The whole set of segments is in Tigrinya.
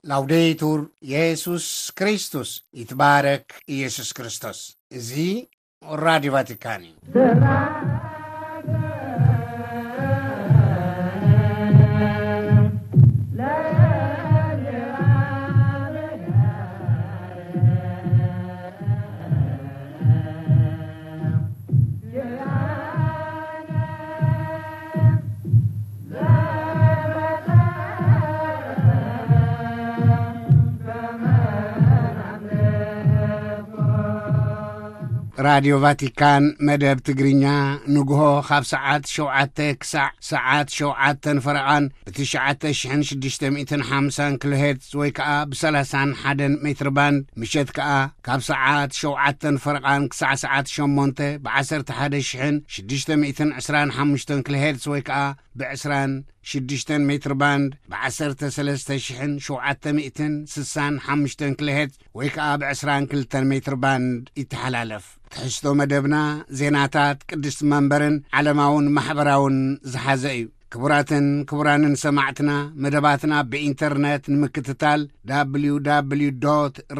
ላውዴቱር የሱስ ክርስቶስ፣ ይትባረክ ኢየሱስ ክርስቶስ። እዚ ራዲዮ ቫቲካን እዩ። ራዲዮ ቫቲካን መደብ ትግርኛ ንግሆ ካብ ሰዓት ሸውዓተ ክሳዕ ሰዓት ሸውዓተን ፈረቓን ብትሽዓተ ሽሕን ሽዱሽተ ሚእትን ሓምሳን ኪሎ ሄርትዝ ወይ ከኣ ብሰላሳን ሓደን ሜትር ባንድ፣ ምሸት ከኣ ካብ ሰዓት ሸውዓተን ፈረቓን ክሳዕ ሰዓት ሸሞንተ ብዓሰርተ ሓደ ሽሕን ሽዱሽተ ሚእትን ዕስራን ሓሙሽተን ኪሎ ሄርትዝ ወይ ከኣ ብዕስራን ሽዱሽተን ሜትር ባንድ ብዓሰርተ ሰለስተ ሽሕን ሸውዓተ ሚእትን ስሳን ሓሙሽተን ኪሎ ሄርትዝ ወይ ከኣ ብዕስራን ክልተን ሜትር ባንድ ይተሓላለፍ። ትሕዝቶ መደብና ዜናታት ቅድስቲ መንበርን ዓለማውን ማሕበራውን ዝሓዘ እዩ። ክቡራትን ክቡራንን ሰማዕትና፣ መደባትና ብኢንተርነት ንምክትታል፣ www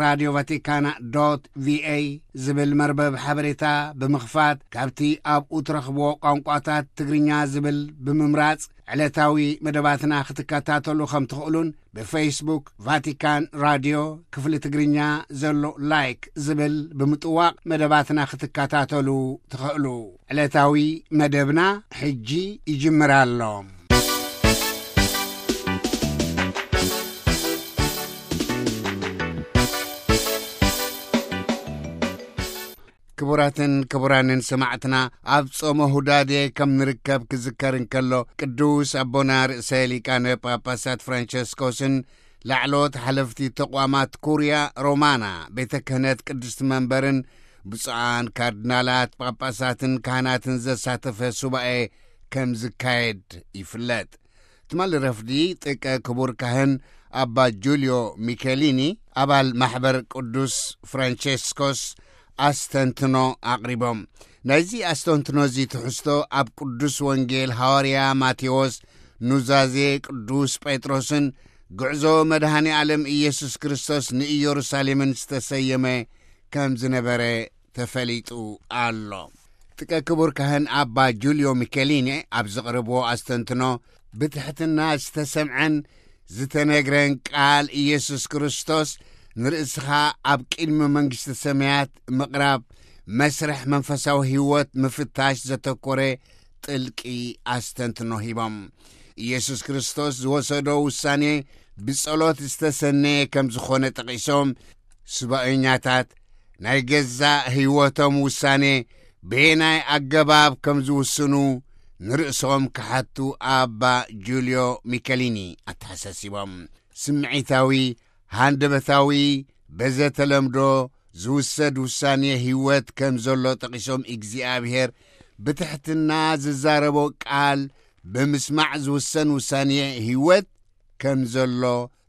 radio vaticana ቪኤ ዝብል መርበብ ሓበሬታ ብምኽፋት፣ ካብቲ ኣብኡ ትረኽብዎ ቋንቋታት ትግርኛ ዝብል ብምምራጽ፣ ዕለታዊ መደባትና ክትከታተሉ ከም ትኽእሉን፣ ብፌስቡክ ቫቲካን ራድዮ ክፍሊ ትግርኛ ዘሎ ላይክ ዝብል ብምጥዋቕ መደባትና ክትከታተሉ ትኽእሉ። ዕለታዊ መደብና ሕጂ ይጅምር ኣሎ። ክቡራትን ክቡራንን ሰማዕትና፣ ኣብ ጾመ ሁዳዴ ከም ንርከብ ክዝከር እንከሎ፣ ቅዱስ ኣቦና ርእሰ ሊቃነ ጳጳሳት ፍራንቸስኮስን ላዕለዎት ሓለፍቲ ተቋማት ኩርያ ሮማና፣ ቤተ ክህነት ቅድስቲ መንበርን ብፁዓን ካርዲናላት፣ ጳጳሳትን ካህናትን ዘሳተፈ ሱባኤ ከም ዝካየድ ይፍለጥ። ትማሊ ረፍዲ ጥቀ ክቡር ካህን ኣባ ጁልዮ ሚኬሊኒ፣ ኣባል ማሕበር ቅዱስ ፍራንቸስኮስ፣ ኣስተንትኖ ኣቕሪቦም። ናይዚ ኣስተንትኖ እዚ ትሕዝቶ ኣብ ቅዱስ ወንጌል ሃዋርያ ማቴዎስ፣ ኑዛዜ ቅዱስ ጴጥሮስን ጉዕዞ መድኃኔ ዓለም ኢየሱስ ክርስቶስ ንኢየሩሳሌምን ዝተሰየመ ከም ዝነበረ ተፈሊጡ ኣሎ። ጥቀ ክቡር ካህን ኣባ ጁልዮ ሚኬሊኒ ኣብ ዘቕረብዎ ኣስተንትኖ፣ ብትሕትና ዝተሰምዐን ዝተነግረን ቃል ኢየሱስ ክርስቶስ ንርእስኻ ኣብ ቅድሚ መንግስቲ ሰማያት ምቕራብ፣ መስርሕ መንፈሳዊ ህይወት ምፍታሽ ዘተኮረ ጥልቂ ኣስተንትኖ ሂቦም። ኢየሱስ ክርስቶስ ዝወሰዶ ውሳኔ ብጸሎት ዝተሰነየ ከም ዝኾነ ጠቒሶም፣ ስባኦኛታት ናይ ገዛእ ህይወቶም ውሳኔ በየናይ ኣገባብ ከም ዝውስኑ ንርእሶም ክሓቱ ኣባ ጁልዮ ሚከሊኒ ኣተሓሳሲቦም። ስምዒታዊ፣ ሃንደበታዊ፣ በዘተለምዶ ዝውሰድ ውሳኔ ህይወት ከም ዘሎ ጠቒሶም፣ እግዚኣብሔር ብትሕትና ዝዛረቦ ቃል ብምስማዕ ዝውሰን ውሳኔ ህይወት ከም ዘሎ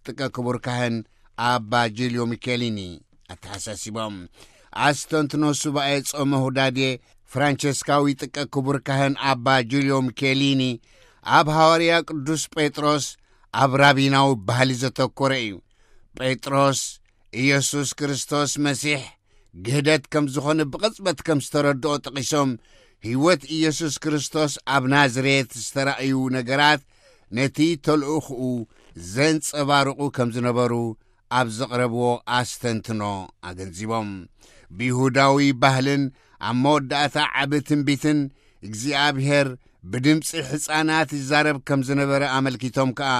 ጥቀ ክቡር ካህን ኣባ ጁልዮ ሚኬሊኒ ኣተሓሳሲቦም። ኣስተንትኖ ሱባኤ ጾመ ሁዳዴ ፍራንቸስካዊ ጥቀ ክቡር ካህን ኣባ ጁልዮ ሚኬሊኒ ኣብ ሃዋርያ ቅዱስ ጴጥሮስ ኣብ ራቢናዊ ባህሊ ዘተኮረ እዩ። ጴጥሮስ ኢየሱስ ክርስቶስ መሲሕ ግህደት ከም ዝኾነ ብቕጽበት ከም ዝተረድኦ ጠቒሶም፣ ህይወት ኢየሱስ ክርስቶስ ኣብ ናዝሬት ዝተራእዩ ነገራት ነቲ ተልእኾኡ ዘንጸባርቑ ከም ዝነበሩ ኣብ ዘቕረብዎ ኣስተንትኖ ኣገንዚቦም። ብይሁዳዊ ባህልን ኣብ መወዳእታ ዓቢ ትንቢትን እግዚኣብሔር ብድምጺ ሕፃናት ይዛረብ ከም ዝነበረ ኣመልኪቶም ከኣ፣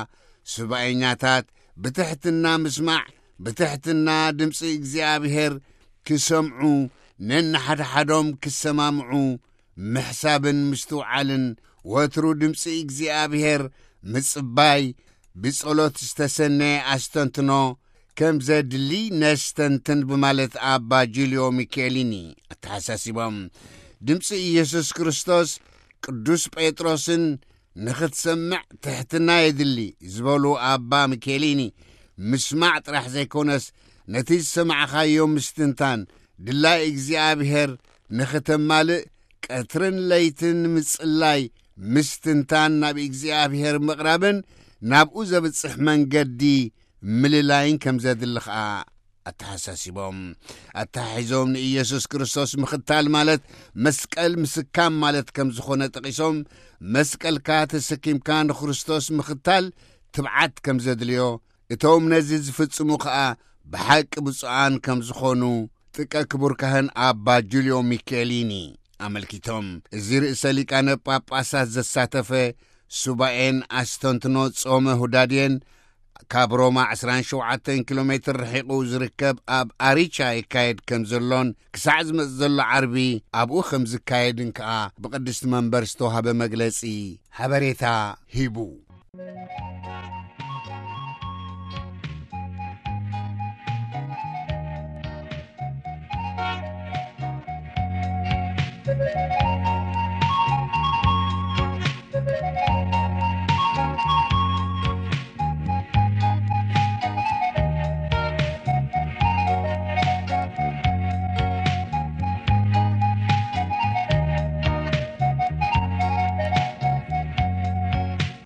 ሱባኤኛታት ብትሕትና ምስማዕ፣ ብትሕትና ድምጺ እግዚኣብሔር ክሰምዑ፣ ነንሓድሓዶም ክሰማምዑ፣ ምሕሳብን ምስትውዓልን፣ ወትሩ ድምጺ እግዚኣብሔር ምጽባይ፣ ብጸሎት ዝተሰነየ ኣስተንትኖ ከም ዘድሊ ነስተንትን ብማለት ኣባ ጁልዮ ሚኬሊኒ ኣተሓሳሲቦም። ድምጺ ኢየሱስ ክርስቶስ ቅዱስ ጴጥሮስን ንኽትሰምዕ ትሕትና የድሊ ዝበሉ ኣባ ሚኬሊኒ፣ ምስማዕ ጥራሕ ዘይኮነስ ነቲ ዝሰማዕኻዮ ምስትንታን፣ ድላይ እግዚኣብሔር ንኽተማልእ ቀትርን ለይትን ምጽላይ፣ ምስትንታን፣ ናብ እግዚኣብሔር ምቕራብን ናብኡ ዘብጽሕ መንገዲ ምልላይን ከም ዘድሊ ኸኣ ኣተሓሳሲቦም። ኣተሓሒዞም ንኢየሱስ ክርስቶስ ምኽታል ማለት መስቀል ምስካም ማለት ከም ዝኾነ ጠቒሶም፣ መስቀልካ ተሰኪምካ ንክርስቶስ ምኽታል ትብዓት ከም ዘድልዮ፣ እቶም ነዚ ዝፍጽሙ ኸኣ ብሓቂ ብፁዓን ከም ዝኾኑ ጥቀ ክቡር ካህን ኣባ ጁልዮ ሚኬሊኒ ኣመልኪቶም። እዚ ርእሰ ሊቃነ ጳጳሳት ዘሳተፈ ሱባኤን ኣስተንትኖ ጾመ ሁዳዴን ካብ ሮማ ዕስራን ሸውዓተን ኪሎ ሜትር ርሒቑ ዝርከብ ኣብ ኣሪቻ ይካየድ ከም ዘሎን ክሳዕ ዝመጽእ ዘሎ ዓርቢ ኣብኡ ከም ዝካየድን ከኣ ብቅድስቲ መንበር ዝተዋህበ መግለጺ ሓበሬታ ሂቡ።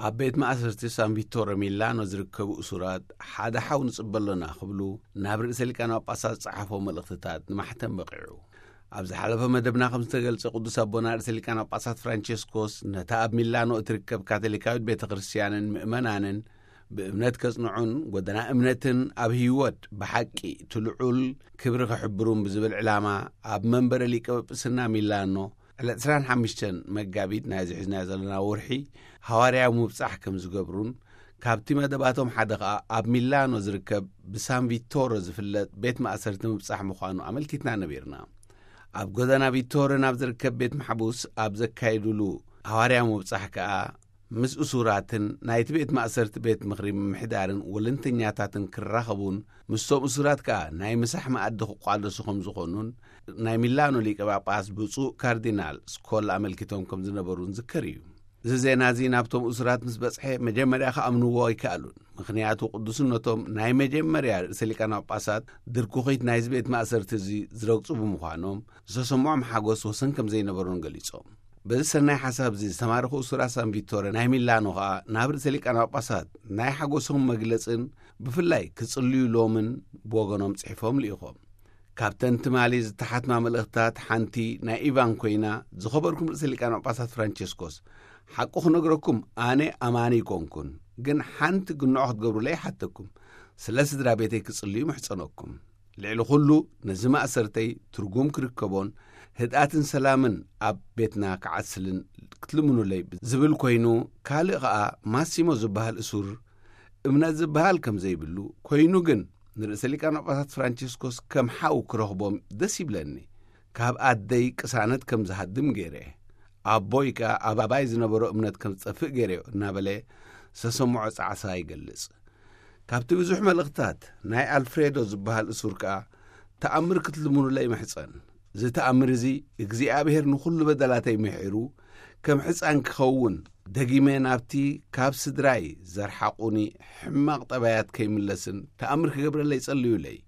ኣብ ቤት ማእሰርቲ ሳን ቪቶረ ሚላኖ ዝርከቡ እሱራት ሓደ ሓው ንጽበ ኣሎና ክብሉ ናብ ርእሰ ሊቃነ ጳጳሳት ዝጸሓፎ መልእኽትታት ንማሕተም በቒዑ። ኣብ ዝሓለፈ መደብና ከም ዝተገልጸ፣ ቅዱስ ኣቦና ርእሰ ሊቃነ ጳጳሳት ፍራንቸስኮስ ነታ ኣብ ሚላኖ እትርከብ ካቶሊካዊት ቤተ ክርስቲያንን ምእመናንን ብእምነት ከጽንዑን ጎደና እምነትን ኣብ ህይወት ብሓቂ እቲ ልዑል ክብሪ ክሕብሩን ብዝብል ዕላማ ኣብ መንበረ ሊቀ ጵጵስና ሚላኖ ዕለት ዕስራን ሓሙሽተን መጋቢት ናይዚ ሒዝናዮ ዘለና ወርሒ ሃዋርያዊ ምብጻሕ ከም ዝገብሩን፣ ካብቲ መደባቶም ሓደ ኸኣ ኣብ ሚላኖ ዝርከብ ብሳን ቪቶሮ ዝፍለጥ ቤት ማእሰርቲ ምብጻሕ ምዃኑ ኣመልኪትና ነቢርና። ኣብ ጎደና ቪቶሮ ናብ ዝርከብ ቤት ማሕቡስ ኣብ ዘካየዱሉ ሃዋርያዊ ምብጻሕ ከኣ ምስ እሱራትን ናይቲ ቤት ማእሰርቲ ቤት ምኽሪ ምምሕዳርን ወለንተኛታትን ክራኸቡን ምስቶም እሱራት ከኣ ናይ ምሳሕ መኣዲ ክቋደሱ ከም ዝኾኑን ናይ ሚላኖ ሊቀ ጳጳስ ብፁዕ ካርዲናል ስኮላ ኣመልኪቶም ከም ዝነበሩን ዝከር እዩ። እዚ ዜና እዚ ናብቶም እሱራት ምስ በጽሐ መጀመርያ ክኣምንዎ ኣይከኣሉን። ምኽንያቱ ቅዱስነቶም ናይ መጀመርያ ርእሰ ሊቃነ ጳጳሳት ድርኩኺት ናይዚ ቤት ማእሰርቲ እዚ ዝረግጹ ብምዃኖም ዝተሰምዖም ሓጎስ ወሰን ከም ዘይነበሮን ገሊጾም። በዚ ሰናይ ሓሳብ እዚ ዝተማረኹ እሱራት ሳን ቪቶረ ናይ ሚላኖ ኸኣ ናብ ርእሰ ሊቃነ ጳጳሳት ናይ ሓጎሶም መግለጽን ብፍላይ ክጽልዩሎምን ብወገኖም ጽሒፎም ልኢኾም። ካብተን ትማሊ ዝተሓትማ መልእኽትታት ሓንቲ ናይ ኢቫን ኮይና፣ ዝኸበርኩም ርእሰ ሊቃነ ጳጳሳት ፍራንቸስኮስ፣ ሓቁ ክነግረኩም ኣነ ኣማኒ ኣይኮንኩን፣ ግን ሓንቲ ግንዖ ክትገብሩለይ ይሓተኩም። ስለ ስድራ ቤተይ ክጽልዩ ምሕጸነኩም። ልዕሊ ኩሉ ነዚ ማእሰርተይ ትርጉም ክርከቦን ህድኣትን ሰላምን ኣብ ቤትና ክዓስልን ክትልምኑለይ ዝብል ኮይኑ፣ ካልእ ኸኣ ማሲሞ ዝበሃል እሱር እምነት ዝበሃል ከም ዘይብሉ ኮይኑ፣ ግን ንርእሰ ሊቃነ ጳጳሳት ፍራንቸስኮስ ከም ሓው ክረኽቦም ደስ ይብለኒ። ካብ ኣደይ ቅሳነት ከም ዝሃድም ገይረ፣ ኣቦይ ከኣ ኣብ ኣባይ ዝነበሮ እምነት ከም ዝጠፍእ ገይረዮ እናበለ ዝተሰምዖ ጻዕሳ ይገልጽ። ካብቲ ብዙሕ መልእኽትታት ናይ ኣልፍሬዶ ዝበሃል እሱር ከኣ ተኣምር ክትልምኑለይ ይምሕጸን። እዚ ተኣምር እዚ እግዚኣብሔር ንኹሉ በደላተይ ምሒሩ ከም ሕጻን ክኸውን፣ ደጊመ ናብቲ ካብ ስድራይ ዘርሓቑኒ ሕማቕ ጠባያት ከይምለስን ተኣምር ክገብረለይ ጸልዩለይ።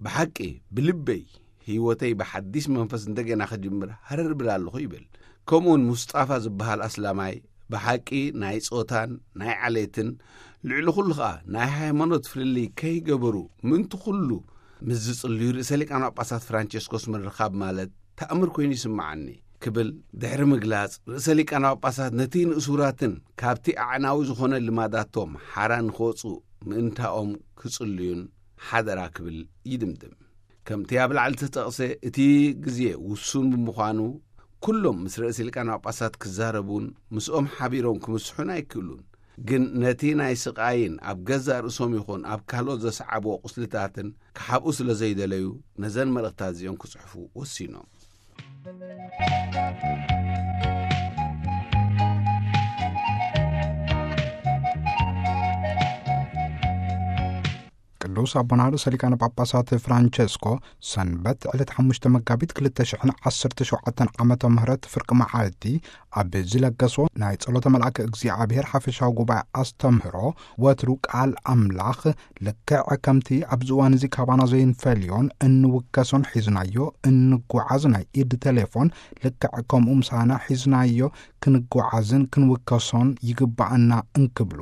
ብሓቂ ብልበይ ህይወተይ ብሓዲስ መንፈስ እንደገና ክጅምር ሃረር ብል ኣለኹ ይብል። ከምኡውን ሙስጣፋ ዝበሃል ኣስላማይ ብሓቂ ናይ ጾታን ናይ ዓሌትን ልዕሊ ኩሉ ኸኣ ናይ ሃይማኖት ፍልልይ ከይገበሩ ምእንቲ ኩሉ ምስ ዝጽልዩ ርእሰ ሊቃነ ጳጳሳት ፍራንቸስኮስ ምርኻብ ማለት ተኣምር ኮይኑ ይስምዓኒ ክብል ድሕሪ ምግላጽ፣ ርእሰ ሊቃነ ጳጳሳት ነቲ ንእሱራትን ካብቲ ኣዕናዊ ዝኾነ ልማዳቶም ሓራ ንኽወጹ ምእንታኦም ክጽልዩን ሓደራ ክብል ይድምድም። ከምቲ ኣብ ላዕሊ ዝተጠቕሰ እቲ ግዜ ውሱን ብምዃኑ፣ ኩሎም ምስ ርእሰ ሊቃነ ጳጳሳት ክዛረቡን ምስኦም ሓቢሮም ክምስሑን ኣይክእሉን። ግን ነቲ ናይ ስቓይን ኣብ ገዛእ ርእሶም ይኹን ኣብ ካልኦት ዘስዓብዎ ቁስልታትን ክሓብኡ ስለ ዘይደለዩ፣ ነዘን መልእኽታት እዚኦም ክጽሕፉ ወሲኖም። ሩስ ኣቦና ርእሰ ሊቃነ ጳጳሳት ፍራንቸስኮ ሰንበት ዕለት ሓሙሽተ መጋቢት ክልተ ሽሕን ዓሰርተ ሸውዓተን ዓመተ ምህረት ፍርቂ መዓልቲ ኣብ ዝለገሶ ናይ ጸሎተ መልኣከ እግዚኣብሔር ሓፈሻዊ ጉባኤ ኣስተምህሮ፣ ወትሩ ቃል ኣምላኽ ልክዕ ከምቲ ኣብዚ እዋን እዚ ካባና ዘይንፈልዮን እንውከሶን ሒዝናዮ እንጓዓዝ ናይ ኢድ ቴሌፎን ልክዕ ከምኡ ምሳና ሒዝናዮ ክንጓዓዝን ክንውከሶን ይግባኣና እንክብሉ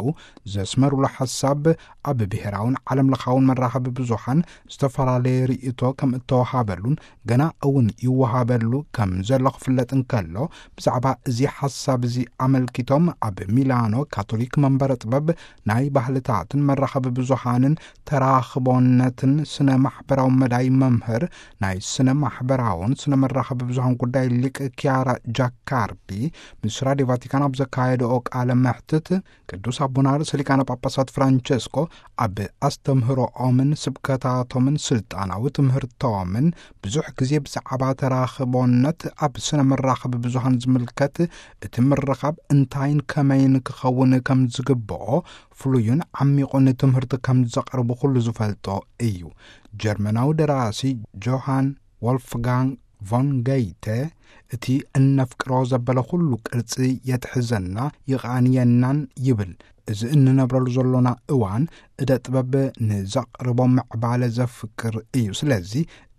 ዘስመሩሉ ሓሳብ፣ ኣብ ብሔራውን ዓለም ለኻውን መራኸቢ ብዙሓን ዝተፈላለየ ርእይቶ ከም እተወሃበሉን ገና እውን ይወሃበሉ ከም ዘሎ ክፍለጥ እንከሎ፣ ብዛዕባ እዚ ሓሳብ እዚ ኣመልኪቶም ኣብ ሚላኖ ካቶሊክ መንበረ ጥበብ ናይ ባህልታትን መራኸቢ ብዙሓንን ተራኽቦነትን ስነ ማሕበራዊ መዳይ መምህር ናይ ስነ ማሕበራውን ስነ መራኸቢ ብዙሃን ጉዳይ ሊቅ ኪያራ ጃካርዲ ምስ ራዲዮ ቫቲካን ኣብ ዘካየደኦ ቃለ መሕትት፣ ቅዱስ ኣቦና ርእሰ ሊቃነ ጳጳሳት ፍራንቸስኮ ኣብ ኣስተምህሮኦምን ስብከታቶምን ስልጣናዊ ትምህርቶምን ብዙሕ ግዜ ብዛዕባ ተራኽቦነት ኣብ ስነ መራኸቢ ብዙሃን ዝምልከት፣ እቲ ምርኻብ እንታይን ከመይን ክኸውን ከም ዝግብኦ ፍሉይን ዓሚቑን ትምህርቲ ከም ዘቕርቡ ኩሉ ዝፈልጦ እዩ። ጀርመናዊ ደራሲ ጆሃን ወልፍጋንግ ቮን ገይተ፣ እቲ እነፍቅሮ ዘበለ ኩሉ ቅርጺ የትሕዘና ይቓንየናን ይብል። እዚ እንነብረሉ ዘሎና እዋን እደ ጥበብ ንዘቕርቦ ምዕባለ ዘፍቅር እዩ። ስለዚ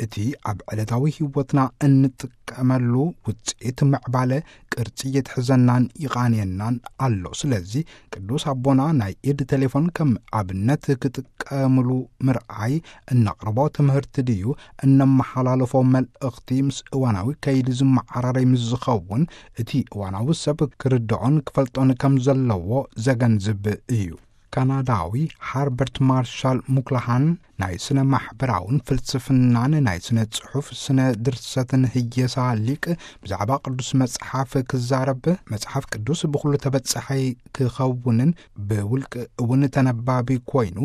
እቲ ኣብ ዕለታዊ ህይወትና እንጥቀመሉ ውጽኢት ምዕባለ ቅርጺ የትሕዘናን ይቓንየናን ኣሎ። ስለዚ ቅዱስ ኣቦና ናይ ኢድ ቴሌፎን ከም ኣብነት ክጥቀምሉ ምርኣይ እነቕርቦ ትምህርቲ ድዩ፣ እነመሓላልፎ መልእኽቲ ምስ እዋናዊ ከይዲ ዝመዓራረይ ምስ ዝኸውን፣ እቲ እዋናዊ ሰብ ክርድኦን ክፈልጦን ከም ዘለዎ ዘገንዝብ እዩ። ካናዳዊ ሃርበርት ማርሻል ሙክላሃን ናይ ስነ ማሕበራውን ፍልስፍናን ናይ ስነ ጽሑፍ ስነ ድርሰትን ህየሳ ሊቅ ብዛዕባ ቅዱስ መጽሓፍ ክዛረብ፣ መጽሓፍ ቅዱስ ብኹሉ ተበጻሒ ክኸውንን ብውልቂ እውን ተነባቢ ኮይኑ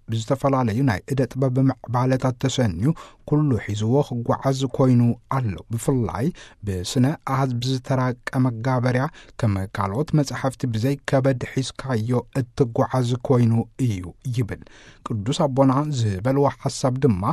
ብዝተፈላለዩ ናይ እደ ጥበብ ምዕባለታት ተሰንዩ ኩሉ ሒዝዎ ክጓዓዝ ኮይኑ ኣሎ። ብፍላይ ብስነ ኣሃዝ ብዝተራቀ መጋበርያ ከም ካልኦት መጻሕፍቲ ብዘይ ከበድ ሒዝካዮ እትጓዓዝ ኮይኑ እዩ ይብል። ቅዱስ ኣቦና ዝበልዎ ሓሳብ ድማ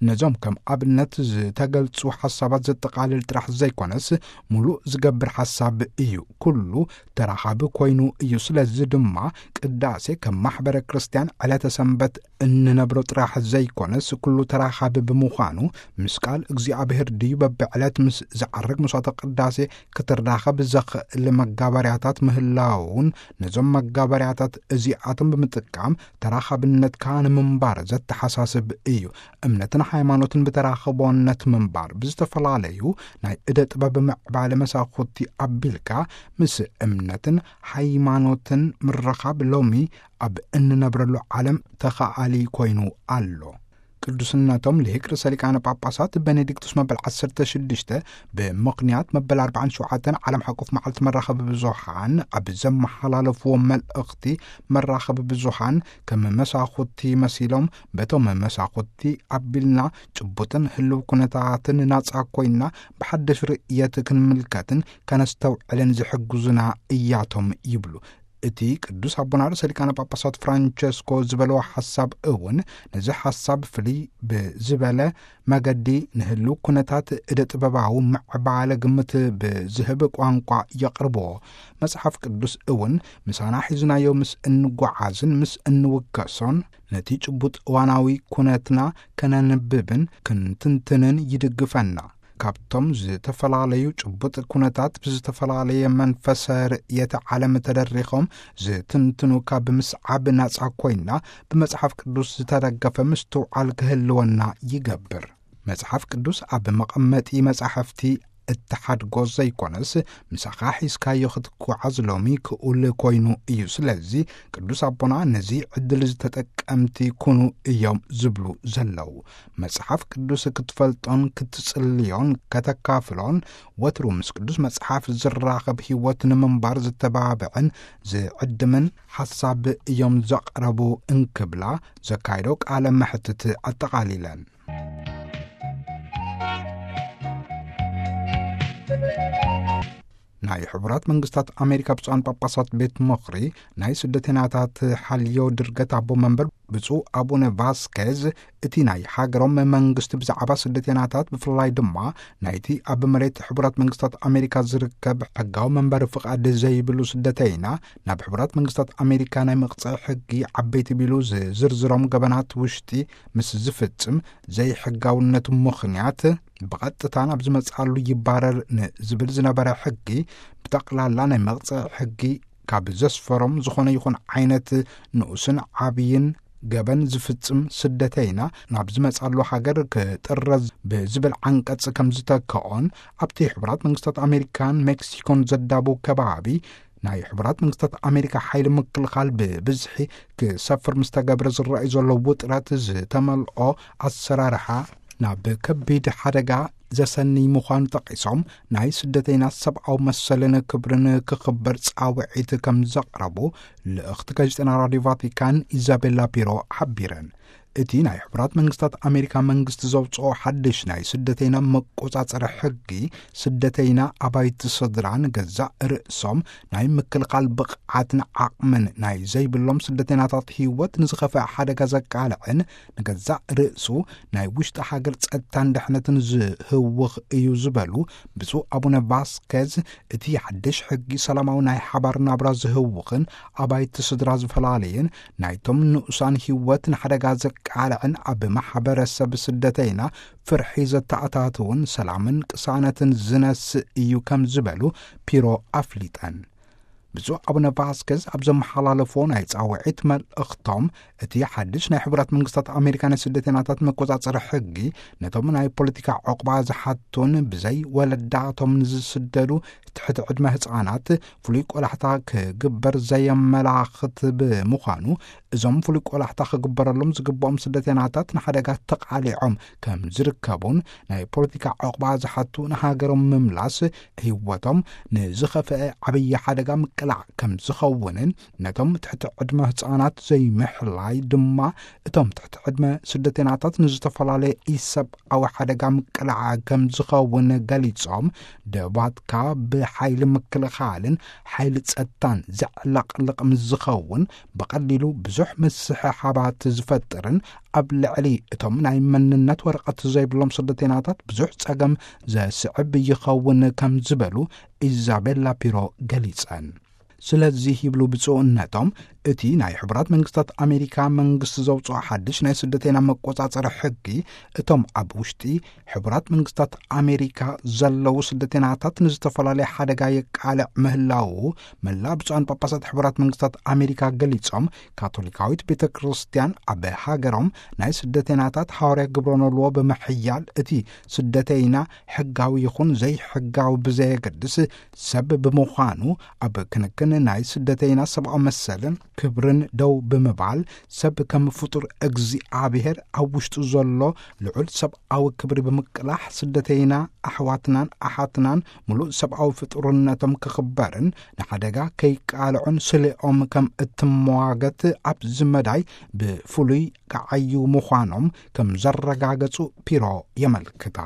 ነዞም ከም ኣብነት ዝተገልጹ ሓሳባት ዘጠቓልል ጥራሕ ዘይኮነስ፣ ሙሉእ ዝገብር ሓሳብ እዩ። ኩሉ ተራኻቢ ኮይኑ እዩ። ስለዚ ድማ ቅዳሴ ከም ማሕበረ ክርስቲያን ዕለተ ሰንበት እንነብሮ ጥራሕ ዘይኮነስ፣ ኩሉ ተራኻቢ ብምዃኑ፣ ምስ ቃል እግዚኣብሔር ድዩ በብዕለት ምስ ዝዓርግ መስዋዕተ ቅዳሴ ክትራኸብ ዘኽእል መጋበርያታት ምህላውን፣ ነዞም መጋበርያታት እዚኣቶም ብምጥቃም ተራኻብነትካ ንምንባር ዘተሓሳስብ እዩ። እምነትን ሃይማኖትን ብተራኽቦነት ምንባር ብዝተፈላለዩ ናይ እደ ጥበብ ምዕባለ መሳኹቲ ኣቢልካ ምስ እምነትን ሃይማኖትን ምርኻብ ሎሚ ኣብ እንነብረሉ ዓለም ተኻኣሊ ኮይኑ ኣሎ። ቅዱስነቶም ልሂቅ ርእሰ ሊቃነ ጳጳሳት ቤኔዲክቱስ መበል ዓሰርተ ሽዱሽተ ብምኽንያት መበል ኣርባዓን ሸውዓተን ዓለም ሓቆፍ መዓልቲ መራኸቢ ብዙሃን ኣብ ዘመሓላለፍዎ መልእኽቲ፣ መራኸቢ ብዙሃን ከም መሳኹቲ መሲሎም በቶም መሳኹቲ ኣቢልና ጭቡጥን ህልው ኩነታትን ናጻ ኮይና ብሓድሽ ርእየት ክንምልከትን ከነስተውዕልን ዝሕግዙና እያቶም ይብሉ። እቲ ቅዱስ ኣቦና ርእሰ ሊቃነ ጳጳሳት ፍራንቸስኮ ዝበለዎ ሓሳብ እውን ነዚ ሓሳብ ፍልይ ብዝበለ መገዲ ንህልው ኩነታት እደ ጥበባዊ ምዕባለ ግምት ብዝህብ ቋንቋ የቕርብዎ። መጽሓፍ ቅዱስ እውን ምሳና ሒዝናዮ ምስ እንጓዓዝን ምስ እንውከሶን ነቲ ጭቡጥ እዋናዊ ኩነትና ከነንብብን ክንትንትንን ይድግፈና። ካብቶም ዝተፈላለዩ ጭቡጥ ኩነታት ብዝተፈላለየ መንፈሰ ርእየተ ዓለም ተደሪኾም ዝትንትኑ ካብ ምስዓብ ናጻ ኮይና ብመጽሓፍ ቅዱስ ዝተደገፈ ምስትውዓል ክህልወና ይገብር። መጽሓፍ ቅዱስ ኣብ መቐመጢ መጻሕፍቲ እትሓድጎ ዘይኮነስ፣ ምሳኻ ሒዝካዮ ክትጓዓዝ ሎሚ ክኡል ኮይኑ እዩ። ስለዚ ቅዱስ ኣቦና ነዚ ዕድል ዝተጠቀምቲ ኩኑ እዮም ዝብሉ ዘለዉ። መጽሓፍ ቅዱስ ክትፈልጦን ክትጽልዮን ከተካፍሎን ወትሩ ምስ ቅዱስ መጽሓፍ ዝራኸብ ህይወት ንምንባር ዝተባብዕን ዝዕድምን ሓሳብ እዮም ዘቕረቡ እንክብላ ዘካይዶ ቃለ መሕትት ኣጠቓሊለን። ናይ ሕቡራት መንግስታት ኣሜሪካ ብፁዓን ጳጳሳት ቤት ምኽሪ ናይ ስደተኛታት ሓልዮ ድርገት ኣቦ መንበር ብፁዕ ኣቡነ ቫስኬዝ፣ እቲ ናይ ሃገሮም መንግስቲ ብዛዕባ ስደተኛታት፣ ብፍላይ ድማ ናይቲ ኣብ መሬት ሕቡራት መንግስታት ኣሜሪካ ዝርከብ ሕጋዊ መንበሪ ፍቓድ ዘይብሉ ስደተይና ናብ ሕቡራት መንግስታት ኣሜሪካ ናይ መቕጽዒ ሕጊ ዓበይቲ ቢሉ ዝዝርዝሮም ገበናት ውሽጢ ምስ ዝፍጽም፣ ዘይሕጋውነቱ ምኽንያት ብቐጥታ ናብ ዝመጽኣሉ ይባረር ንዝብል ዝነበረ ሕጊ፣ ብጠቕላላ ናይ መቕጽዒ ሕጊ ካብ ዘስፈሮም ዝኾነ ይኹን ዓይነት ንኡስን ዓብይን ገበን ዝፍጽም ስደተይና ናብ ዝመጽኣሉ ሃገር ክጥረዝ ብዝብል ዓንቀጽ ከም ዝተከኦን፣ ኣብቲ ሕቡራት መንግስታት ኣሜሪካን ሜክሲኮን ዘዳቡ ከባቢ ናይ ሕቡራት መንግስታት ኣሜሪካ ሓይሊ ምክልኻል ብብዝሒ ክሰፍር ምስ ተገብረ ዝረኣዩ ዘሎ ውጥረት ዝተመልኦ ኣሰራርሓ ናብ ከቢድ ሓደጋ ዘሰንይ ምዃኑ ጠቒሶም፣ ናይ ስደተይና ሰብኣዊ መሰልን ክብርን ክኽበር ጻውዒት ከም ዘቕረቡ ልእኽቲ ጋዜጠና ራዲዮ ቫቲካን ኢዛቤላ ፒሮ ሓቢረን። እቲ ናይ ሕቡራት መንግስታት ኣሜሪካ መንግስቲ ዘውፅኦ ሓድሽ ናይ ስደተይና መቆጻጸሪ ሕጊ፣ ስደተይና ኣባይቲ ስድራ ንገዛእ ርእሶም ናይ ምክልኻል ብቕዓትን ዓቕምን ናይ ዘይብሎም ስደተይናታት ህይወት ንዝኸፍአ ሓደጋ ዘቃልዕን ንገዛእ ርእሱ ናይ ውሽጢ ሃገር ጸጥታን ድሕነትን ዝህውኽ እዩ ዝበሉ ብፁዕ ኣቡነ ቫስኬዝ፣ እቲ ሓድሽ ሕጊ ሰላማዊ ናይ ሓባር ናብራ ዝህውኽን ኣባይቲ ስድራ ዝፈላለይን ናይቶም ንኡሳን ህይወት ንሓደጋ ዘቃልዕን ኣብ ማሕበረሰብ ስደተይና ፍርሒ ዘተኣታትውን ሰላምን ቅሳነትን ዝነስእ እዩ ከም ዝበሉ ፒሮ ኣፍሊጠን። ብፁዕ ኣቡነ ቫስኬዝ ኣብ ዘመሓላለፎ ናይ ጻውዒት መልእኽቶም፣ እቲ ሓድሽ ናይ ሕቡራት መንግስታት ኣሜሪካ ናይ ስደተይናታት መቆጻጸሪ ሕጊ ነቶም ናይ ፖለቲካ ዕቑባ ዝሓቱን ብዘይ ወለዳቶም ንዝስደዱ ትሕቲ ዕድመ ህጻናት ፍሉይ ቆላሕታ ክግበር ዘየመላኽት ብምዃኑ፣ እዞም ፍሉይ ቆላሕታ ክግበረሎም ዝግብኦም ስደተይናታት ንሓደጋ ተቓሊዖም ከም ዝርከቡን፣ ናይ ፖለቲካ ዕቑባ ዝሓቱ ንሃገሮም ምምላስ ህይወቶም ንዝኸፍአ ዓብዪ ሓደጋ ምቅላዕ ከም ዝኸውንን፣ ነቶም ትሕቲ ዕድመ ህጻናት ዘይምሕላይ ድማ እቶም ትሕቲ ዕድመ ስደተይናታት ንዝተፈላለየ ኢሰብኣዊ ሓደጋ ምቅላዕ ከም ዝኸውን ገሊጾም፣ ደባትካ ብሓይሊ ምክልኻልን ሓይሊ ጸጥታን ዘዕለቕልቕ ምስ ዝኸውን፣ ብቐሊሉ ብዙሕ ምስሕሓባት ዝፈጥርን ኣብ ልዕሊ እቶም ናይ መንነት ወረቐት ዘይብሎም ስደተይናታት ብዙሕ ጸገም ዘስዕብ ይኸውን ከም ዝበሉ ኢዛቤላ ፒሮ ገሊጸን። ስለዚህ ይብሉ ብፁዕነቶም፣ እቲ ናይ ሕቡራት መንግስታት ኣሜሪካ መንግስቲ ዘውፅኦ ሓድሽ ናይ ስደተይና መቆጻጸሪ ሕጊ፣ እቶም ኣብ ውሽጢ ሕቡራት መንግስታት ኣሜሪካ ዘለዉ ስደተይናታት ንዝተፈላለየ ሓደጋ የቃልዕ ምህላዉ መላእ ብፁዓን ጳጳሳት ሕቡራት መንግስታት ኣሜሪካ ገሊጾም፣ ካቶሊካዊት ቤተ ክርስቲያን ኣብ ሃገሮም ናይ ስደተይናታት ሃዋርያ ግብረ ኖልዎ ብምሕያል፣ እቲ ስደተይና ሕጋዊ ይኹን ዘይሕጋዊ ብዘየገድስ ሰብ ብምዃኑ፣ ኣብ ክንክን ናይ ስደተይና ሰብኣዊ መሰልን ክብርን ደው ብምባል፣ ሰብ ከም ፍጡር እግዚኣብሔር ኣብ ውሽጡ ዘሎ ልዑል ሰብኣዊ ክብሪ ብምቅላሕ፣ ስደተይና ኣሕዋትናን ኣሓትናን ምሉእ ሰብኣዊ ፍጡርነቶም ክኽበርን ንሓደጋ ከይቃልዑን ስሌኦም ከም እትመዋገት ኣብዚ መዳይ ብፍሉይ ክዓዩ ምዃኖም ከም ዘረጋገጹ ፒሮ የመልክታ።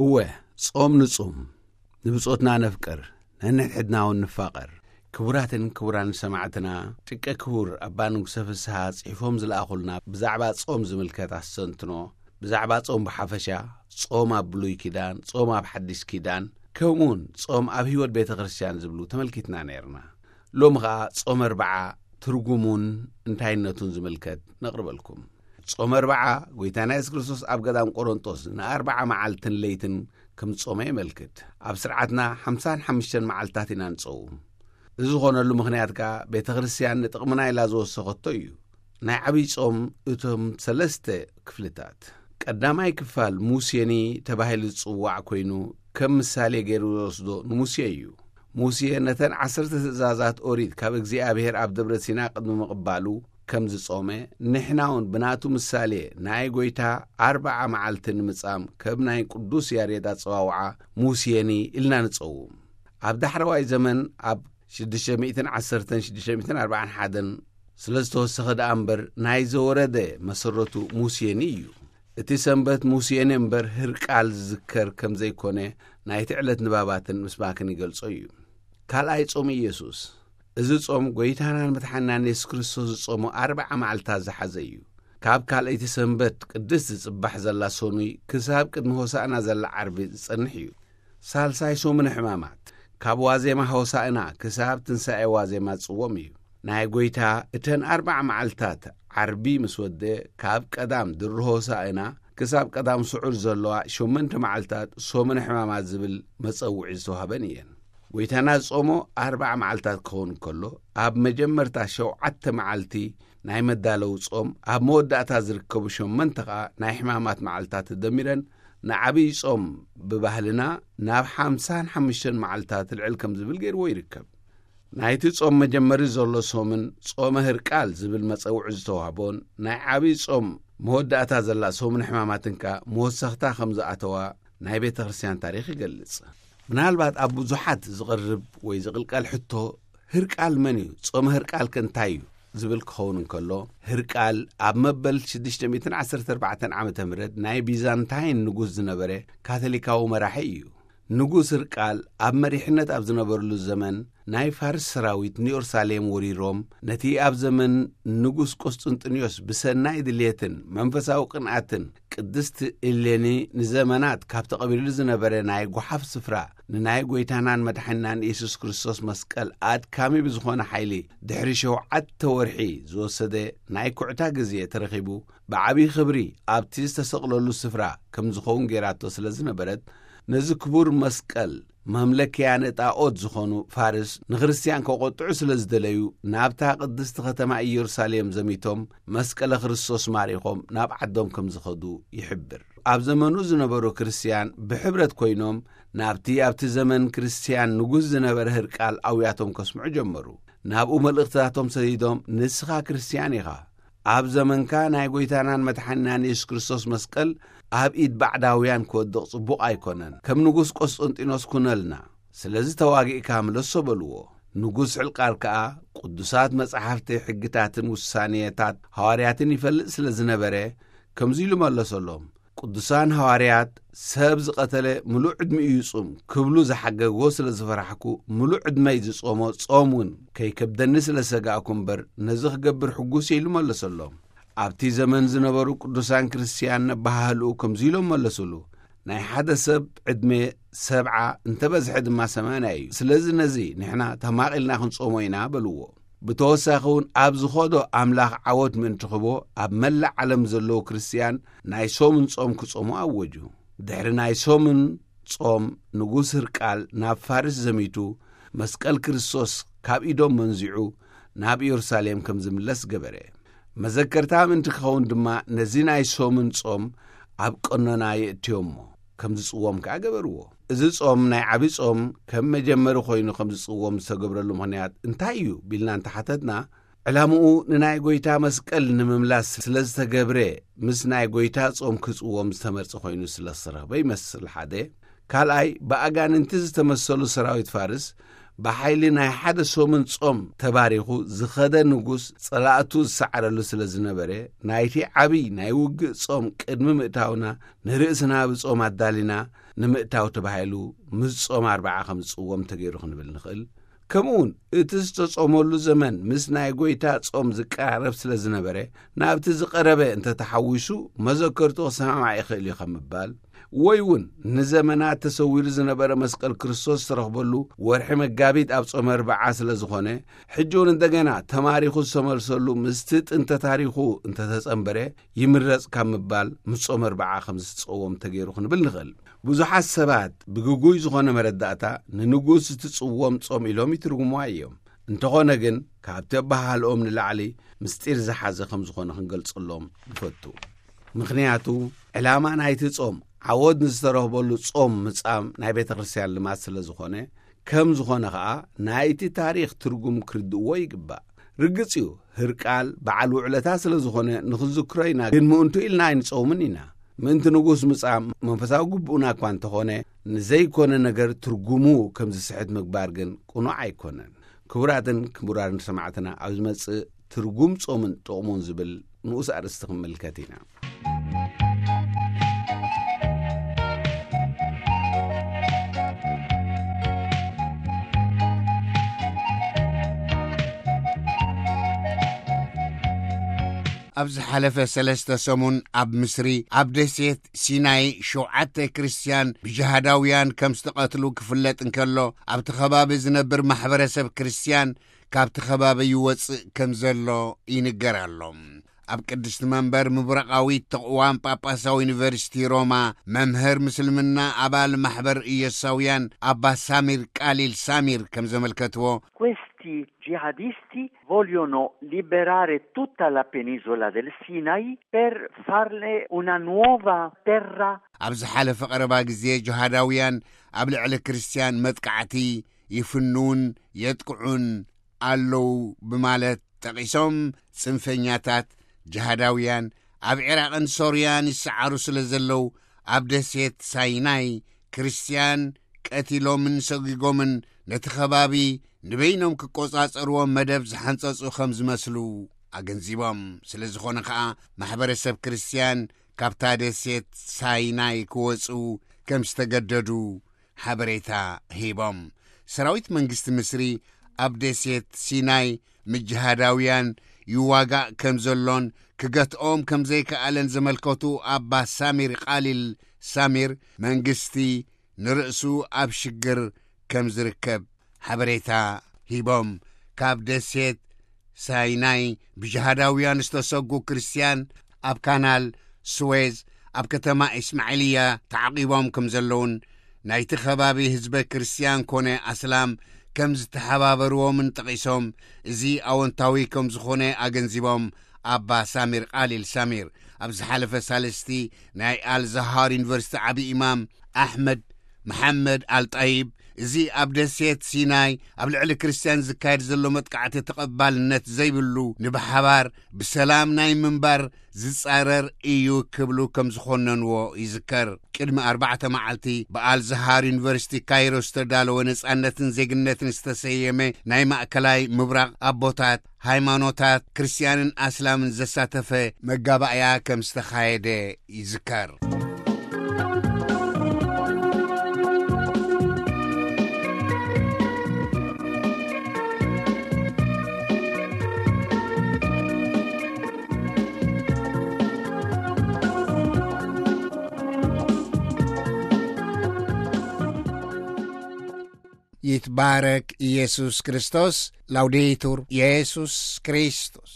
እወ፣ ጾም ንጹም፣ ንብጾትና ነፍቅር፣ ነንሕድሕድና እውን ንፋቐር። ክቡራትን ክቡራን ሰማዕትና፣ ጭቀ ክቡር ኣባ ንጉሰ ፍስሃ ጽሒፎም ዝለኣኹልና ብዛዕባ ጾም ዝምልከት ኣስተንትኖ፣ ብዛዕባ ጾም ብሓፈሻ፣ ጾም ኣብ ብሉይ ኪዳን፣ ጾም ኣብ ሓዲስ ኪዳን፣ ከምኡውን ጾም ኣብ ህይወት ቤተ ክርስቲያን ዝብሉ ተመልኪትና ነይርና። ሎሚ ኸኣ ጾም ኣርብዓ ትርጉሙን እንታይነቱን ዝምልከት ነቕርበልኩም። ጾም ኣርብዓ፣ ጐይታና የሱስ ክርስቶስ ኣብ ገዳም ቆሮንጦስ ንኣርብዓ መዓልትን ለይትን ከም ዝጾመ የመልክት። ኣብ ስርዓትና ሓምሳን ሓሙሽተን መዓልትታት ኢና ንጸውም። እዚ ዝኾነሉ ምኽንያት ከኣ ቤተ ክርስቲያን ንጥቕምና ኢላ ዝወሰኸቶ እዩ። ናይ ዓብይ ጾም እቶም ሰለስተ ክፍልታት። ቀዳማይ ክፋል ሙሴኒ ተባሂሉ ዝጽዋዕ ኮይኑ፣ ከም ምሳሌ ገይሩ ዝወስዶ ንሙሴ እዩ። ሙሴ ነተን ዓሰርተ ትእዛዛት ኦሪት ካብ እግዚኣብሔር ኣብ ደብረ ሲና ቅድሚ ምቕባሉ ከም ዝጾመ፣ ንሕና እውን ብናቱ ምሳሌ ናይ ጐይታ ኣርብዓ መዓልቲ ንምጻም ከም ናይ ቅዱስ ያሬድ ኣጸዋውዓ ሙሴኒ ኢልና ንጸውም። ኣብ ዳሕረዋይ ዘመን ኣብ ሽዱሽተ ሚእትን ዓሰርተን ሽዱሽተ ሚእትን ኣርባዓን ሓደን ስለ ዝተወሰኸ ደኣ እምበር ናይ ዘወረደ መሰረቱ ሙሴኒ እዩ። እቲ ሰንበት ሙሴኒ እምበር ህርቃል ዝዝከር ከም ዘይኮነ ናይቲ ዕለት ንባባትን ምስባክን ይገልጾ እዩ። ካልኣይ ጾም ኢየሱስ። እዚ ጾም ጐይታናን መድሓናን የሱስ ክርስቶስ ዝጾሞ ኣርብዓ መዓልታት ዝሓዘ እዩ። ካብ ካልኣይቲ ሰንበት ቅድስት ዝጽባሕ ዘላ ሰኑይ ክሳብ ቅድሚ ሆሳእና ዘላ ዓርቢ ዝጸንሕ እዩ። ሳልሳይ ሰሙነ ሕማማት። ካብ ዋዜማ ሆሳእና ክሳብ ትንሳኤ ዋዜማ ዝጽወም እዩ። ናይ ጐይታ እተን ኣርብዓ መዓልታት ዓርቢ ምስ ወደ፣ ካብ ቀዳም ድሪ ሆሳእና ክሳብ ቀዳም ስዑር ዘለዋ ሸሞንተ መዓልታት ሰሙነ ሕማማት ዝብል መጸውዒ ዝተዋህበን እየን። ጐይታና ዝጾሞ ኣርብዓ መዓልታት ክኸውን ከሎ፣ ኣብ መጀመርታ ሸውዓተ መዓልቲ ናይ መዳለዊ ጾም፣ ኣብ መወዳእታ ዝርከቡ ሸሞንተ ኸኣ ናይ ሕማማት መዓልታት ተደሚረን ንዓብዪ ጾም ብባህልና ናብ ሓምሳን ሓሙሽተን መዓልታት ልዕል ከም ዝብል ገይርዎ ይርከብ። ናይቲ ጾም መጀመሪ ዘሎ ሶምን ጾመ ህርቃል ዝብል መጸውዒ ዝተዋህቦን ናይ ዓብዪ ጾም መወዳእታ ዘላ ሶምን ሕማማትን ከኣ መወሰኽታ ከም ዝኣተዋ ናይ ቤተ ክርስቲያን ታሪኽ ይገልጽ። ምናልባት ኣብ ብዙሓት ዝቐርብ ወይ ዝቕልቀል ሕቶ፣ ህርቃል መን እዩ? ጾመ ህርቃል ከ እንታይ እዩ? ዝብል ክኸውን እንከሎ፣ ህርቃል ኣብ መበል ሽዱሽተ ሚእትን ዓሰርተ ኣርባዕተን ዓመተ ምህረት ናይ ቢዛንታይን ንጉስ ዝነበረ ካቶሊካዊ መራሒ እዩ። ንጉስ ህርቃል ኣብ መሪሕነት ኣብ ዝነበረሉ ዘመን፣ ናይ ፋርስ ሰራዊት ንኢየሩሳሌም ወሪሮም፣ ነቲ ኣብ ዘመን ንጉስ ቆስጥንጥንዮስ ብሰናይ ድልየትን መንፈሳዊ ቅንኣትን ቅድስቲ እሌኒ ንዘመናት ካብ ተቐቢሉ ዝነበረ ናይ ጓሓፍ ስፍራ ንናይ ጐይታናን መድሓኒናን ኢየሱስ ክርስቶስ መስቀል ኣድካሚ ብዝኾነ ሓይሊ ድሕሪ ሸውዓተ ወርሒ ዝወሰደ ናይ ኩዕታ ግዜ ተረኺቡ፣ ብዓብዪ ክብሪ ኣብቲ ዝተሰቕለሉ ስፍራ ከም ዝኸውን ገይራቶ ስለ ዝነበረት፣ ነዚ ክቡር መስቀል መምለኪያ ንጣኦት ዝኾኑ ፋርስ ንክርስትያን ከቖጥዑ ስለ ዝደለዩ፣ ናብታ ቅድስቲ ከተማ ኢየሩሳሌም ዘሚቶም መስቀለ ክርስቶስ ማሪኾም ናብ ዓዶም ከም ዝኸዱ ይሕብር። ኣብ ዘመኑ ዝነበሩ ክርስትያን ብሕብረት ኮይኖም ናብቲ ኣብቲ ዘመን ክርስትያን ንጉስ ዝነበረ ህርቃል ኣውያቶም ከስምዑ ጀመሩ። ናብኡ መልእኽትታቶም ሰዲዶም፣ "ንስኻ ክርስትያን ኢኻ። ኣብ ዘመንካ ናይ ጐይታናን መድሓኒናን የሱስ ክርስቶስ መስቀል ኣብ ኢድ ባዕዳውያን ክወድቕ ጽቡቕ ኣይኮነን። ከም ንጉስ ቆስጠንጢኖስ ኩነልና። ስለዚ ተዋጊእካ ምለሶ" በልዎ። ንጉስ ሕልቃል ከኣ፣ "ቅዱሳት መጻሕፍቲ፣ ሕግታትን ውሳኔታት ሃዋርያትን ይፈልጥ ስለ ዝነበረ፣ ከምዚ ኢሉ መለሰሎም፣ ቅዱሳን ሃዋርያት፣ 'ሰብ ዝቐተለ ምሉእ ዕድሚኡ ይጹም' ክብሉ ዝሓገግዎ ስለ ዝፈራሕኩ፣ ምሉእ ዕድመይ ዝጾሞ ጾም እውን ከይከብደኒ ስለ ዝሰጋእኩ እምበር፣ ነዚ ክገብር ሕጉስ እየ" ኢሉ መለሰሎም። ኣብቲ ዘመን ዝነበሩ ቅዱሳን ክርስትያን ነባሃህልኡ ከምዚ ኢሎም መለሱሉ፣ "ናይ ሓደ ሰብ ዕድመ ሰብዓ፣ እንተ በዝሐ ድማ ሰማንያ እዩ። ስለዚ ነዚ ንሕና ተማቒልና ክንጾሞ ኢና" በልዎ። ብተወሳኺ እውን ኣብ ዝኸዶ ኣምላኽ ዓወት ምእንቲ ክህቦ ኣብ መላእ ዓለም ዘለዉ ክርስትያን ናይ ሶምን ጾም ክጾሙ ኣወጁ። ድሕሪ ናይ ሶምን ጾም ንጉስ ህርቃል ናብ ፋርስ ዘሚቱ መስቀል ክርስቶስ ካብ ኢዶም መንዚዑ ናብ ኢየሩሳሌም ከም ዝምለስ ገበረ። መዘከርታ ምእንቲ ክኸውን ድማ ነዚ ናይ ሶምን ጾም ኣብ ቀኖና የእትዮሞ፣ ከም ዝጽወም ከኣ ገበርዎ። እዚ ጾም ናይ ዓቢ ጾም ከም መጀመሪ ኮይኑ ከም ዝጽወም ዝተገብረሉ ምኽንያት እንታይ እዩ ቢልና እንተሓተትና፣ ዕላምኡ ንናይ ጐይታ መስቀል ንምምላስ ስለ ዝተገብረ፣ ምስ ናይ ጐይታ ጾም ክጽወም ዝተመርጸ ኮይኑ ስለ ዝተረኽበ ይመስል ሓደ። ካልኣይ፣ ብኣጋንንቲ ዝተመሰሉ ሰራዊት ፋርስ ብሓይሊ ናይ ሓደ ሰሙን ጾም ተባሪኹ ዝኸደ ንጉስ ጸላእቱ ዝሰዓረሉ ስለ ዝነበረ፣ ናይቲ ዓብይ ናይ ውግእ ጾም ቅድሚ ምእታውና ንርእስና ብጾም ኣዳሊና ንምእታው ተባሂሉ ምስ ጾም ኣርብዓ ከም ዝጽወም ተገይሩ ክንብል ንኽእል። ከምኡውን እቲ ዝተጾመሉ ዘመን ምስ ናይ ጐይታ ጾም ዝቀራረብ ስለ ዝነበረ፣ ናብቲ ዝቐረበ እንተተሓዊሱ መዘከርቱ ክሰማማዕ ይኽእል እዩ ከም ምባል፣ ወይ እውን ንዘመናት ተሰዊሩ ዝነበረ መስቀል ክርስቶስ ዝተረኽበሉ ወርሒ መጋቢት ኣብ ጾመ ኣርብዓ ስለ ዝኾነ፣ ሕጂ እውን እንደገና ተማሪኹ ዝተመልሰሉ ምስቲ ጥንተ ታሪኹ እንተተጸንበረ ይምረጽ ካብ ምባል ምስ ጾመ ኣርብዓ ከም ዝጽወም ተገይሩ ክንብል ንኽእል። ብዙሓት ሰባት ብግጉይ ዝኾነ መረዳእታ ንንጉስ ዝትጽወም ጾም ኢሎም ይትርጉምዋ እዮም። እንተኾነ ግን ካብቲ ኣበሃህልኦም ንላዕሊ ምስጢር ዝሓዘ ከም ዝኾነ ክንገልጸሎም ንፈቱ። ምኽንያቱ ዕላማ ናይቲ ጾም ዓወት ንዝተረኽበሉ ጾም ምጻም ናይ ቤተ ክርስቲያን ልማድ ስለ ዝኾነ፣ ከም ዝኾነ ኸኣ ናይቲ ታሪኽ ትርጉም ክርድእዎ ይግባእ። ርግጽ እዩ፣ ህርቃል በዓል ውዕለታ ስለ ዝኾነ ንኽዝክሮ ኢና፣ ግን ምእንቱ ኢልና ኣይንጸውምን ኢና። ምእንቲ ንጉስ ምጻም መንፈሳዊ ግቡእና እኳ እንተኾነ፣ ንዘይኮነ ነገር ትርጉሙ ከም ዝስሕት ምግባር ግን ቅኑዕ ኣይኮነን። ክቡራትን ክቡራን ሰማዕትና፣ ኣብ ዝመጽእ ትርጉም ጾምን ጥቕሙን ዝብል ንኡስ ኣርእስቲ ክንምልከት ኢና። ኣብ ዝሓለፈ ሰለስተ ሰሙን ኣብ ምስሪ፣ ኣብ ደሴት ሲናይ፣ ሸውዓተ ክርስትያን ብጅሃዳውያን ከም ዝተቐትሉ ክፍለጥ እንከሎ፣ ኣብቲ ከባቢ ዝነብር ማሕበረሰብ ክርስትያን ካብቲ ከባቢ ይወጽእ ከም ዘሎ ይንገር ኣሎ። ኣብ ቅድስቲ መንበር ምብራቓዊት ተቕዋም ጳጳሳዊ ዩኒቨርሲቲ ሮማ፣ መምህር ምስልምና፣ ኣባል ማሕበር ኢየሱሳውያን፣ ኣባ ሳሚር ቃሊል ሳሚር ከም ዘመልከትዎ፣ Questi jihadisti vogliono liberare tutta la penisola del Sinai per farne una nuova terra. ኣብ ዝሓለፈ ቀረባ ግዜ፣ ጅሃዳውያን ኣብ ልዕሊ ክርስትያን መጥቃዕቲ ይፍንውን የጥቅዑን ኣለዉ ብማለት ጠቒሶም፣ ጽንፈኛታት ጅሃዳውያን ኣብ ዒራቕን ሶርያን ይሰዓሩ ስለ ዘለዉ፣ ኣብ ደሴት ሳይናይ ክርስትያን ቀቲሎምን ሰጒጎምን ነቲ ከባቢ ንበይኖም ክቆጻጸርዎ መደብ ዝሓንጸጹ ከም ዝመስሉ ኣገንዚቦም። ስለ ዝኾነ ኸኣ፣ ማሕበረሰብ ክርስትያን ካብታ ደሴት ሳይናይ ክወጹ ከም ዝተገደዱ ሓበሬታ ሂቦም። ሰራዊት መንግስቲ ምስሪ ኣብ ደሴት ሲናይ ምጅሃዳውያን ይዋጋእ ከም ዘሎን ክገትኦም ከም ዘይከኣለን ዘመልከቱ ኣባ ሳሚር ቃሊል ሳሚር፣ መንግስቲ ንርእሱ ኣብ ሽግር ከም ዝርከብ ሓበሬታ ሂቦም። ካብ ደሴት ሳይናይ ብጅሃዳውያን ዝተሰጉ ክርስትያን ኣብ ካናል ስዌዝ ኣብ ከተማ ኢስማዒልያ ተዓቂቦም ከም ዘለውን ናይቲ ከባቢ ህዝበ ክርስትያን ኮነ ኣስላም ከም ዝተሓባበርዎምን ጠቒሶም፣ እዚ ኣወንታዊ ከም ዝኾነ ኣገንዚቦም፣ ኣባ ሳሚር ቃሊል ሳሚር ኣብ ዝሓለፈ ሳልስቲ ናይ ኣልዛሃር ዩኒቨርሲቲ ዓቢ ኢማም ኣሕመድ መሓመድ ኣልጣይብ፣ እዚ ኣብ ደሴት ሲናይ ኣብ ልዕሊ ክርስትያን ዝካየድ ዘሎ መጥቃዕቲ ተቐባልነት ዘይብሉ፣ ንብሓባር ብሰላም ናይ ምንባር ዝጻረር እዩ ክብሉ ከም ዝኾነንዎ ይዝከር። ቅድሚ ኣርባዕተ መዓልቲ ብኣልዛሃር ዩኒቨርሲቲ ካይሮ ዝተዳለወ ነጻነትን ዜግነትን ዝተሰየመ ናይ ማእከላይ ምብራቕ ኣቦታት ሃይማኖታት ክርስትያንን ኣስላምን ዘሳተፈ መጋባእያ ከም ዝተኻየደ ይዝከር። ይትባረክ ኢየሱስ ክርስቶስ። ላውዴቱር ኢየሱስ ክርስቶስ።